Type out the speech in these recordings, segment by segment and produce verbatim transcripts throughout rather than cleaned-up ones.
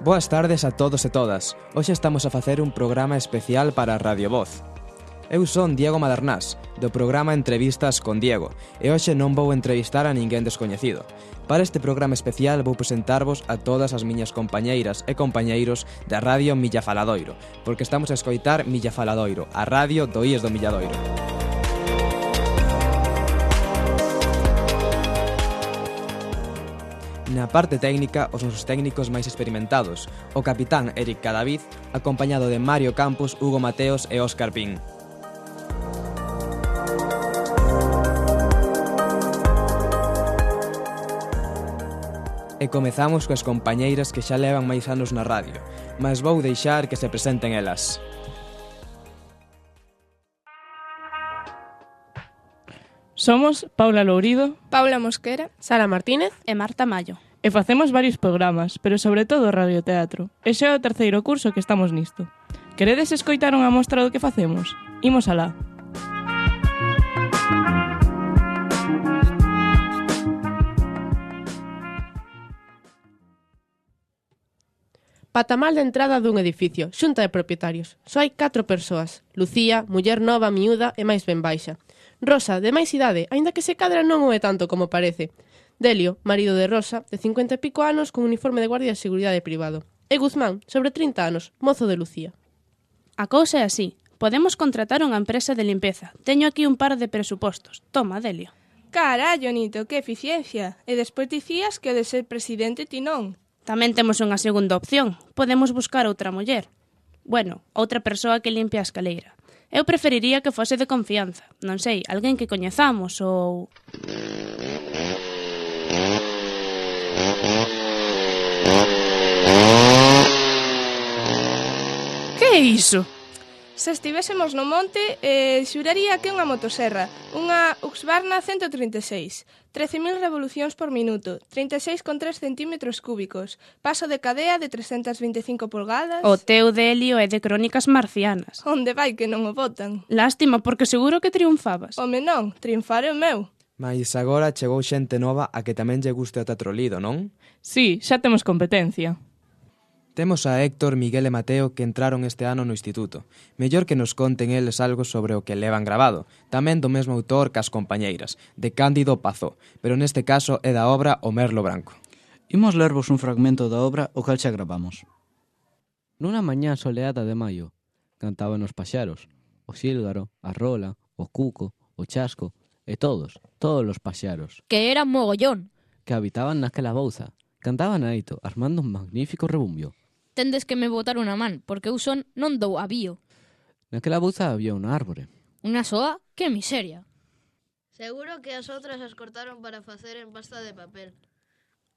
Boas tardes a todos e todas. Hoxe estamos a facer un programa especial para Radio Voz. Eu son Diego Madernás, do programa Entrevistas con Diego, e hoxe non vou entrevistar a ninguén descoñecido. Para este programa especial vou presentarvos a todas as miñas compañeiras e compañeiros da Radio Milla Faladoiro, porque estamos a escoitar Milla Faladoiro, a radio do I E S do Milladoiro. Na parte técnica, os nosos técnicos máis experimentados, o capitán Eric Cadavid, acompañado de Mario Campos, Hugo Mateos e Óscar Pín. E comezamos coas compañeiras que xa levan máis anos na radio, mas vou deixar que se presenten elas. Somos Paula Lourido, Paula Mosquera, Sara Martínez e Marta Mallo. E facemos varios programas, pero sobre todo radioteatro. E xa é o terceiro curso que estamos nisto. Queredes escoitar unha mostra do que facemos? Imos alá. Patamal de entrada dun edificio, xunta de propietarios. Só hai catro persoas. Lucía, muller nova, miúda e máis ben baixa. Rosa, de máis idade, aínda que se cadra non o é tanto como parece. Delio, marido de Rosa, de cincuenta e pico anos, con uniforme de guardia de seguridade privado. E Guzmán, sobre trinta anos, mozo de Lucía. A cousa é así. Podemos contratar unha empresa de limpeza. Teño aquí un par de presupostos. Toma, Delio. Carallo, Nito, que eficiencia. E despois dicías que o de ser presidente ti non. Tamén temos unha segunda opción. Podemos buscar outra muller. Bueno, outra persoa que limpie a escaleira. Eu preferiría que fose de confianza. Non sei, alguén que coñezamos ou... Que é iso? Se estivésemos no monte, eh, xuraría que é unha motoserra, unha Husqvarna ciento trinta e seis, trece mil revolucións por minuto, trinta e seis coma tres centímetros cúbicos, paso de cadea de trescentas vinte e cinco pulgadas... O teu Delio é de Crónicas Marcianas. Onde vai que non o botan? Lástima, porque seguro que triunfabas. Home non, triunfar é o meu. Mais agora chegou xente nova a que tamén lle guste o teatro lido, non? Sí, xa temos competencia. Temos a Héctor, Miguel e Mateo que entraron este ano no instituto. Mellor que nos conten eles algo sobre o que levan grabado. Tamén do mesmo autor que as compañeiras, de Cándido Pazó, pero neste caso é da obra O Merlo Branco. Imos lervos un fragmento da obra o cal xa gravamos. Nunha mañá soleada de maio, cantaban os paxaros, o xílgaro, a rola, o cuco, o chasco, e todos, todos os paxaros. Que eran mogollón. Que habitaban naquela bouza. Cantaban aito, armando un magnífico rebumbio. Tendes que me botar unha man, porque eu son non dou avío. Naquela bouza había unha árbore. Unha soa? Que miseria. Seguro que as outras as cortaron para facer en pasta de papel.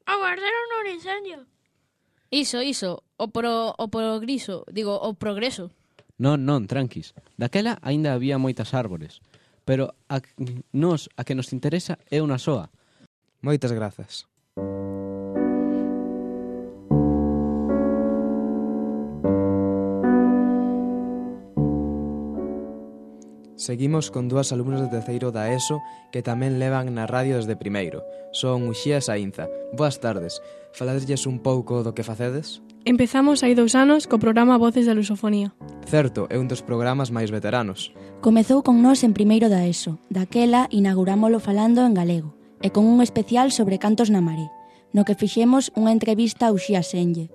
Aguardaron un incendio. Iso, iso, o pro, o progriso, digo, o progreso. Non, non, tranquis. Daquela aínda había moitas árbores, pero a nos a que nos interesa é unha soa. Moitas grazas. Seguimos con dúas alumnas de terceiro da ESO que tamén levan na radio desde primeiro. Son Uxía e Saínza. Boas tardes. Faladeselles un pouco do que facedes? Empezamos hai dous anos co programa Voces da Lusofonía. Certo, é un dos programas máis veteranos. Comezou con nós en primeiro da ESO. Daquela inaugurámolo falando en galego e con un especial sobre cantos na maré, no que fixemos unha entrevista a Uxía Senlle.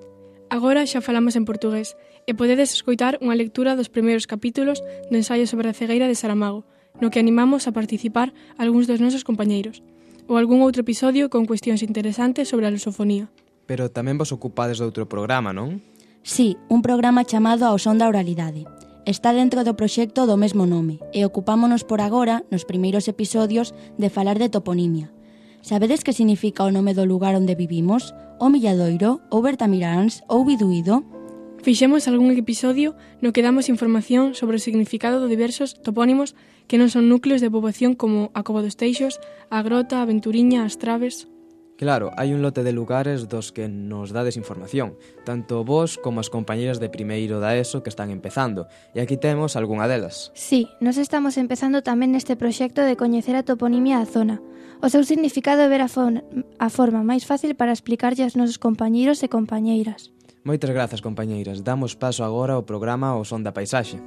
Agora xa falamos en portugués e podedes escoitar unha lectura dos primeiros capítulos do ensaio sobre a cegueira de Saramago, no que animamos a participar algúns dos nosos compañeiros, ou algún outro episodio con cuestións interesantes sobre a lusofonía. Pero tamén vos ocupades de outro programa, non? Sí, un programa chamado Ao son da oralidade. Está dentro do proxecto do mesmo nome e ocupámonos por agora, nos primeiros episodios, de falar de toponimia. Sabedes que significa o nome do lugar onde vivimos? O Milladoiro, ou Bertamiráns, ou Biduído? Fixemos algún episodio no que damos información sobre o significado de diversos topónimos que non son núcleos de poboación como a Cova dos Teixos, a Grota, a Venturiña, as Traves... Claro, hai un lote de lugares dos que nos dades información, tanto vos como as compañeras de primeiro da ESO que están empezando, e aquí temos algunha delas. Sí, nos estamos empezando tamén neste proxecto de coñecer a toponimia da zona, o seu significado e ver a, a forma máis fácil para explicarlle aos nosos compañeiros e compañeiras. Moitas grazas, compañeiras. Damos paso agora ao programa O Son da Paisaxe.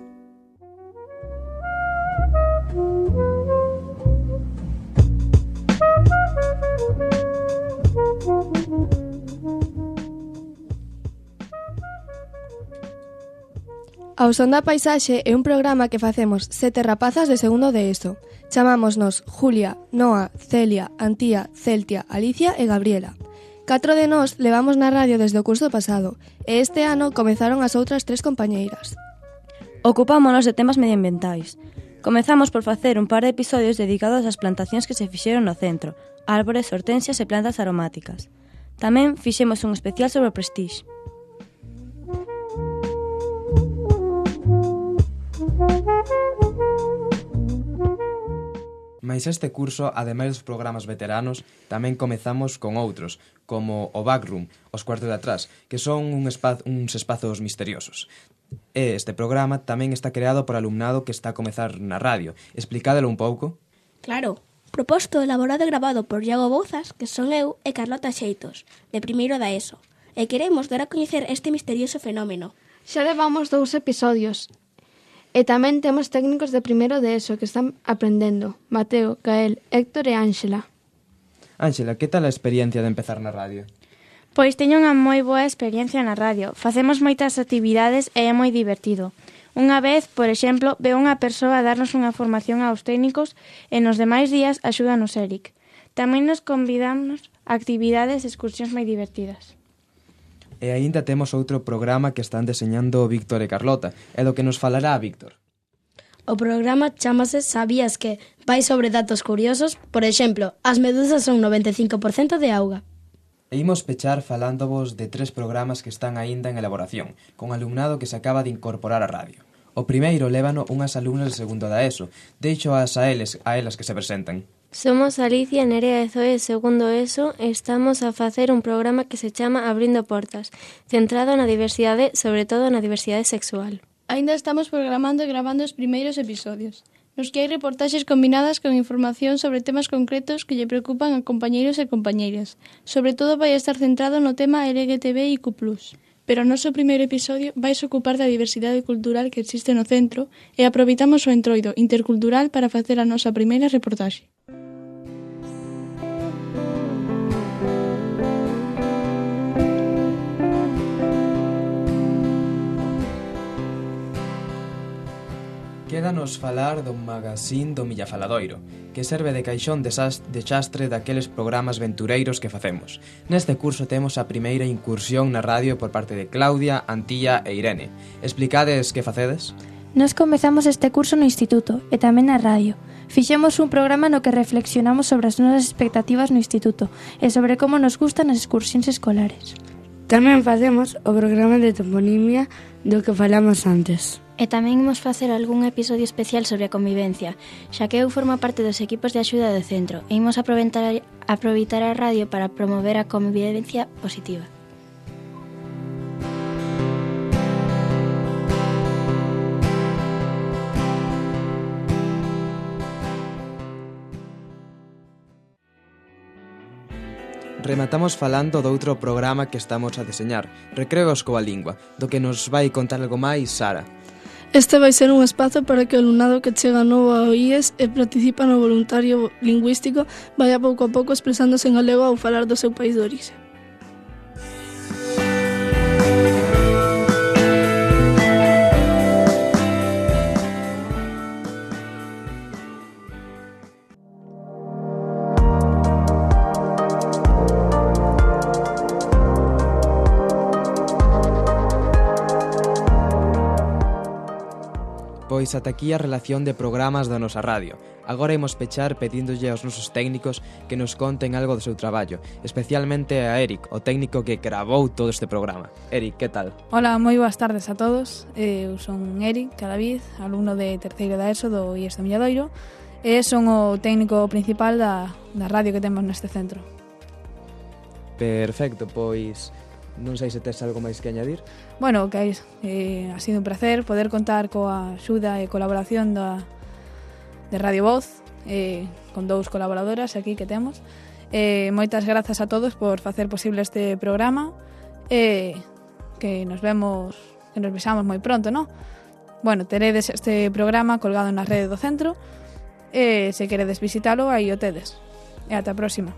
Ao Son da Paisaxe é un programa que facemos sete rapazas de segundo de ESO. Chamámonos Julia, Noa, Celia, Antía, Celtia, Alicia e Gabriela. Catro de nós levamos na radio desde o curso pasado e este ano comezaron as outras tres compañeiras. Ocupámonos de temas medioambientais. Comezamos por facer un par de episodios dedicados ás plantacións que se fixeron no centro, árbores, hortensias e plantas aromáticas. Tamén fixemos un especial sobre o Prestige. Mais este curso, ademais dos programas veteranos, tamén comezamos con outros, como o Backroom, os cuartos de atrás, que son un espaz, uns espazos misteriosos. E este programa tamén está creado por alumnado que está a comezar na radio. Explicádelo un pouco? Claro, proposto, elaborado e gravado por Iago Bouzas, que son eu e Carlota Xeitos, de primeiro da ESO, e queremos dar a coñecer este misterioso fenómeno. Xa levamos dous episodios. E tamén temos técnicos de primeiro de ESO que están aprendendo. Mateo, Gael, Héctor e Ángela. Ángela, que tal a experiencia de empezar na radio? Pois teño unha moi boa experiencia na radio. Facemos moitas actividades e é moi divertido. Unha vez, por exemplo, veo unha persoa a darnos unha formación aos técnicos e nos demais días axúdanos Eric. Tamén nos convidamos a actividades e excursións moi divertidas. E aínda temos outro programa que están deseñando Víctor e Carlota, e do que nos falará Víctor. O programa chamase Sabías que? Vai sobre datos curiosos, por exemplo, as medusas son noventa e cinco por cento de auga. E imos pechar falándovos de tres programas que están aínda en elaboración, con alumnado que se acaba de incorporar á radio. O primeiro lévano unhas alumnas de segundo da ESO. Deixo as a eles, a elas que se presentan. Somos Alicia, Nerea e Zoe, segundo ESO, e estamos a facer un programa que se chama Abrindo Portas, centrado na diversidade, sobre todo na diversidade sexual. Aínda estamos programando e gravando os primeiros episodios, nos que hai reportaxes combinadas con información sobre temas concretos que lle preocupan a compañeiros e compañeiras. Sobre todo vai estar centrado no tema L G T B I Q plus. Pero o noso primeiro episodio vai se ocupar da diversidade cultural que existe no centro e aproveitamos o entroido intercultural para facer a nosa primeira reportaxe. Quédanos falar do magazín do Millafaladoiro, que serve de caixón de xastre daqueles programas ventureiros que facemos. Neste curso temos a primeira incursión na radio por parte de Claudia, Antía e Irene. Explicades que facedes? Nos comezamos este curso no instituto e tamén na radio. Fixemos un programa no que reflexionamos sobre as nosas expectativas no instituto e sobre como nos gustan as excursións escolares. Tamén facemos o programa de toponimia do que falamos antes. E tamén imos facer algún episodio especial sobre a convivencia, xa que eu formo parte dos equipos de axuda do centro e imos aproveitar, aproveitar a radio para promover a convivencia positiva. Rematamos falando doutro programa que estamos a deseñar, Recreos coa Lingua, do que nos vai contar algo máis Sara. Este vai ser un espazo para que o alumnado que chega novo ao I E S e participa no voluntario lingüístico vaya pouco a pouco expresándose en galego ao falar do seu país de orixe. Pois ata aquí a relación de programas da nosa radio. Agora imos pechar pedíndolle aos nosos técnicos que nos conten algo do seu traballo, especialmente a Eric, o técnico que gravou todo este programa. Eric, que tal? Hola, moi boas tardes a todos. Eu son Eric Cadavid, alumno de terceiro da ESO do I E S do Milladoiro, e son o técnico principal da, da radio que temos neste centro. Perfecto, pois non sei se tes algo máis que añadir. Bueno, que eh, ha sido un placer poder contar coa axuda e colaboración da, de Radio Voz, eh, con dous colaboradoras aquí que temos. Eh, moitas grazas a todos por facer posible este programa e que nos vemos, que nos besamos moi pronto, non? Bueno, teredes este programa colgado na rede do centro e se queredes visitalo, aí o tedes. E ata a próxima.